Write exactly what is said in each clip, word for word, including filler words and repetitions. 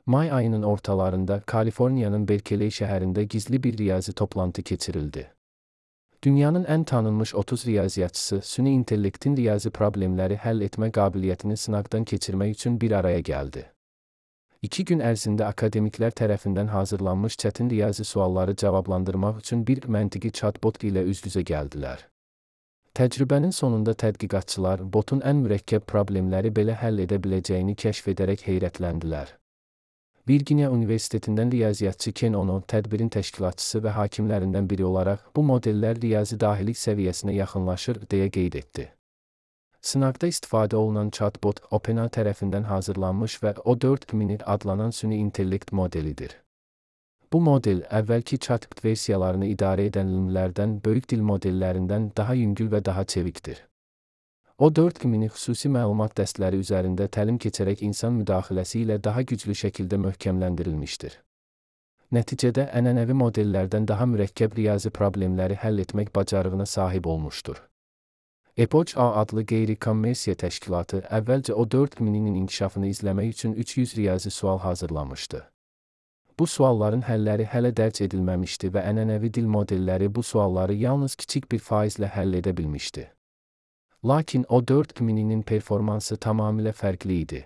May ayının ortalarında Kaliforniya'nın Berkeley şəhərində gizli bir riyazi toplantı keçirildi. Dünyanın ən tanınmış otuz riyaziyyatçısı süni intellektin riyazi problemləri həll etmə qabiliyyətini sınaqdan keçirmək üçün bir araya gəldi. İki gün ərzində akademiklər tərəfindən hazırlanmış çətin riyazi sualları cavablandırmaq üçün bir məntiqi chatbot ilə üz-üzə gəldilər. Təcrübənin sonunda tədqiqatçılar botun ən mürəkkəb problemləri belə həll edə biləcəyini kəşf edərək heyrətləndilər. Virginia Universitetindən riyaziyyatçı Ken Ono, tədbirin təşkilatçısı və hakimlərindən biri olaraq, bu modellər riyazi dahilik səviyyəsinə yaxınlaşır, deyə qeyd etdi. Sınaqda istifadə olunan chatbot, OpenAI tərəfindən hazırlanmış və O dörd mini adlanan süni intellekt modelidir. Bu model, əvvəlki chatbot versiyalarını idarə edən limlərdən, böyük dil modellərindən daha yüngül və daha çevikdir. O dörd mini xüsusi məlumat dəstləri üzərində təlim keçərək insan müdaxiləsi ilə daha güclü şəkildə möhkəmləndirilmişdir. Nəticədə ənənəvi modellərdən daha mürəkkəb riyazi problemləri həll etmək bacarığına sahib olmuşdur. Epoch A adlı qeyri-kommersiya təşkilatı əvvəlcə O dörd mininin inkişafını izləmək üçün üç yüz riyazi sual hazırlamışdı. Bu sualların həlləri hələ dərc edilməmişdi və ənənəvi dil modelləri bu sualları yalnız kiçik bir faizlə həll edə bilmişdi. Lakin O dörd mininin performansı tamamilə fərqli idi.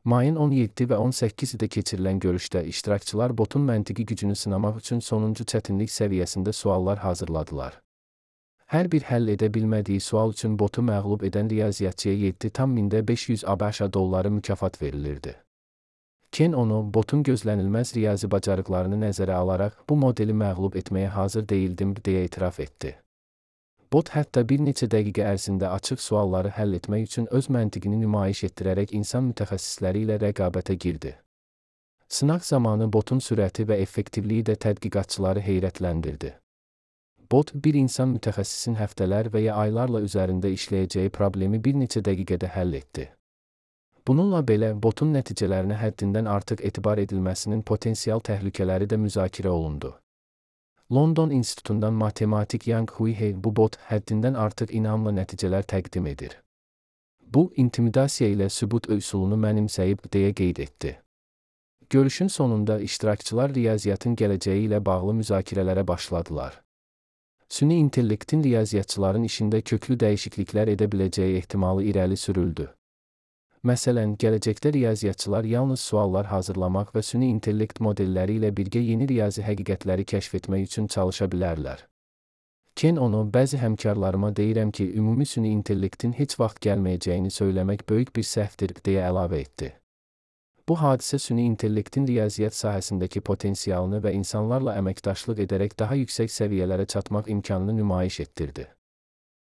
Mayın on yeddi və on səkkizində keçirilən görüşdə iştirakçılar botun məntiqi gücünü sınamaq üçün sonuncu çətinlik səviyyəsində suallar hazırladılar. Hər bir həll edə bilmədiyi sual üçün botu məğlub edən riyaziyyatçıya yeddi tam mində beş yüz ABŞ dolları mükafat verilirdi. Ken Ono, botun gözlənilməz riyazi bacarıqlarını nəzərə alaraq bu modeli məğlub etməyə hazır deyildim, deyə etiraf etdi. Bot hətta bir neçə dəqiqə ərzində açıq sualları həll etmək üçün öz məntiqini nümayiş etdirərək insan mütəxəssisləri ilə rəqabətə girdi. Sınaq zamanı botun sürəti və effektivliyi də tədqiqatçıları heyrətləndirdi. Bot, bir insan mütəxəssisin həftələr və ya aylarla üzərində işləyəcəyi problemi bir neçə dəqiqədə həll etdi. Bununla belə, botun nəticələrinə həddindən artıq etibar edilməsinin potensial təhlükələri də müzakirə olundu. London İnstitutundan matematik Yang Hui bu bot həddindən artıq inamla nəticələr təqdim edir. Bu, intimidasiya ilə sübut üsulunu mənimsəyib, deyə qeyd etdi. Görüşün sonunda iştirakçılar riyaziyyatın gələcəyi ilə bağlı müzakirələrə başladılar. Süni intellektin riyaziyyatçıların işində köklü dəyişikliklər edə biləcəyi ehtimalı irəli sürüldü. Məsələn, gələcəkdə riyaziyyatçılar yalnız suallar hazırlamaq və süni intellekt modelləri ilə birgə yeni riyazi həqiqətləri kəşf etmək üçün çalışa bilərlər. Ken Ono, bəzi həmkarlarıma deyirəm ki, ümumi süni intellektin heç vaxt gəlməyəcəyini söyləmək böyük bir səhvdir, deyə əlavə etdi. Bu hadisə süni intellektin riyaziyyat sahəsindəki potensialını və insanlarla əməkdaşlıq edərək daha yüksək səviyyələrə çatmaq imkanını nümayiş etdirdi.